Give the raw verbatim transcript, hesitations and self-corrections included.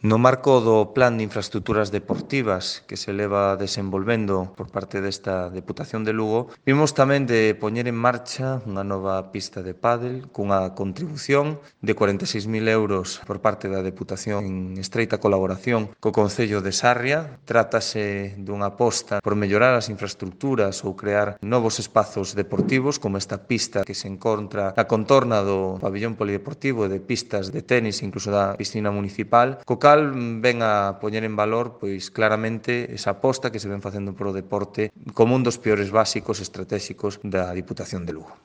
No marco do Plan de Infraestructuras Deportivas que se leva desenvolvendo por parte desta Deputación de Lugo, vimos tamén de poñer en marcha unha nova pista de pádel cunha contribución de cuarenta e seis mil euros por parte da Deputación en estreita colaboración co Concello de Sarria. Trátase dunha aposta por mellorar as infraestructuras ou crear novos espazos deportivos como esta pista que se encontra na contorna do pabillón polideportivo e de pistas de tenis, incluso da piscina municipal, co cal ven a poñer en valor pois claramente esa aposta que se ven facendo polo deporte como un dos peores básicos estratégicos da Diputación de Lugo.